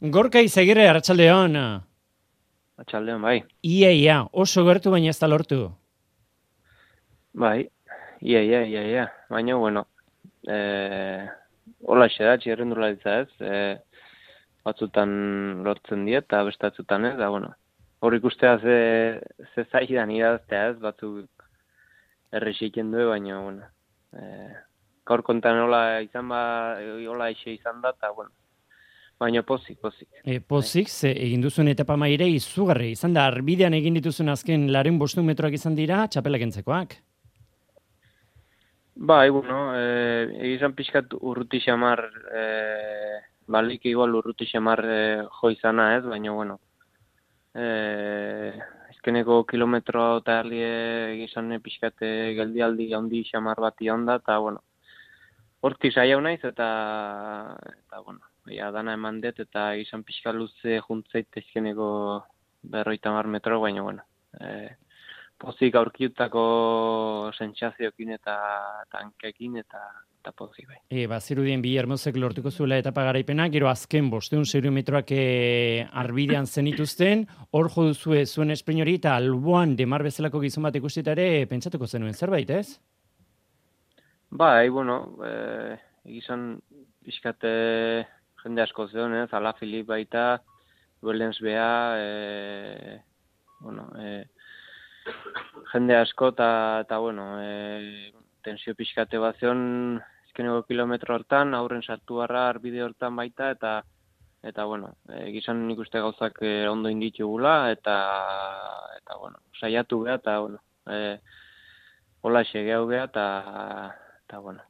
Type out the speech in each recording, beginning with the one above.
Gorka Izagirre, arratsaldeon. Atxaldeon, bai. Ia, oso gertu baina ez da lortu. Bai, ia. Baina, bueno, hola da, txirrendularitza ez, batzutan lortzen diet, eta bestatzutan ez, da, bueno. Hor ikustea ze zaidan iraztea ez, batzuk errexiken du, baina, bueno. Gaur kontan hola izan hola eixe izan da, eta, bueno. Baina pozik. Pozik, ze egin duzuen etapa maire izugarri. Izan da, arbidean egin dituzuen azken 500 metroak izan dira, txapelak entzekoak. Bai, bueno, egizan pixkat urruti xamar, balik igual urruti xamar jo izana ez, baina, bueno, ezkeneko kilometro eta egizan pixkat geldialdi handi xamar bat da, eta, bueno, hortik saiau naiz, eta bueno, dana eman dut, eta izan pixka luze juntzeit ezkeneko 50 metro, baina, bueno, pozik aurkiutako sentsazioekin eta tankekin eta pozik bai. Bazirudien bi Hermosek lortuko zuela etapa garaipena, gero azken 500 metroak arbidean zenituzten, hor jo duzue zuen esprein hori, eta alboan demar bezalako gizon bat ikustita ere pentsatuko zenuen zerbait, ez? Bai, bueno, egizan pixkat jende asko zeon, ez, Ala Filip baita, Wellens bea, bueno, jende asko eta bueno, tensio pixkate bat zeon ezkeneko kilometro hortan, aurren sartu barra arbide hortan baita, eta bueno, egizan nik uste gauzak ondo inditugula, eta bueno, saiatu beha, eta bueno, hola xegeau beha, eta bueno,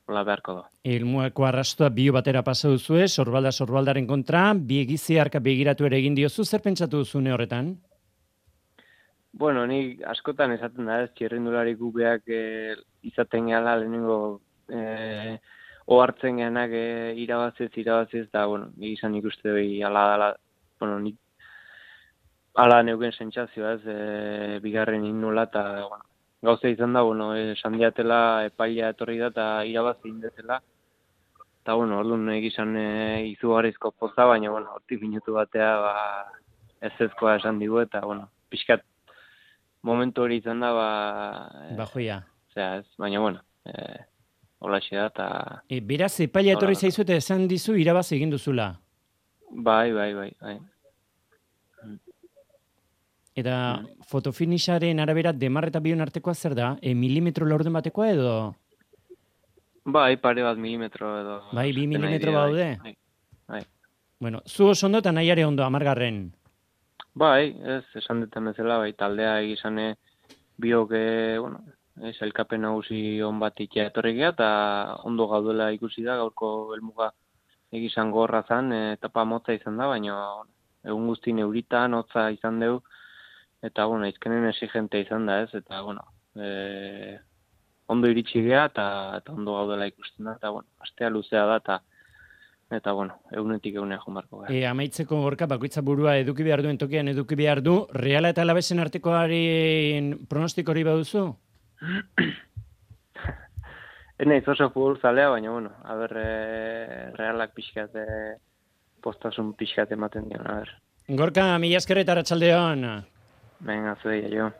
hola beharko da. Ilmueko arrastoa bio batera pasa duzue, sorbaldaren kontra, bi egiziarka begiratu ere egin diozu, zer pentsatu duzune horretan? Bueno, nik askotan esaten da ez, txirrindulari gubeak izaten gehala lehenengo ohartzen gehanak irabaziz, eta, bueno, egizan ikuste behi ala, bueno, nik ala neuken sentsazioa ez, bigarren innula, eta, bueno, gauza izan da, bueno, esan diatela epailea etorri da, eta irabazi indetela, eta, bueno, orduan egizan izugarrizko poza, baina, bueno, hortik minutu batea, ezezkoa esan digu, eta, bueno, pixkat, momentu hori izan da, Bajoia. Ez, baina, bueno, holaxe da, eta... Beraz, epailea etorri zaizu eta esan dizu irabazi egin duzula. Bai. Eta fotofinisharen arabera demar eta bion artekoa zer da? Milimetro laurden batekoa edo? Bai, pare bat milimetro edo... Bai, 2 milimetro baude? Bai. Bueno, zu oso ondo eta nahiare ondo, 10. Bai, ez, esan duten bezala, bai, taldea egizane biok, bueno, elkapen nagusi on bat ikia etorri geha, eta ondo gaudela ikusi da, gaurko helmuga egizan gorra zan, etapa motza izan da, baina egun guzti neuritan, hotza izan deu, eta, bueno, izkenen exigente izan da, ez, eta, bueno, ondo iritsi geha, eta ondo gaudela ikusten da, eta, bueno, astea luzea da, eta, bueno, egunetik egunea jonbarko gara. Amaitzeko Gorka, bakoitza burua eduki behar duen tokian eduki behar du, Reala eta Alavesen artekoaren pronostiko hori baduzu? Naiz oso futbol zalea, baina, bueno, Realak pixkat, postasun pixkat ematen dion, Gorka, mila esker eta arratsaldeon. Venga, zuei, jo.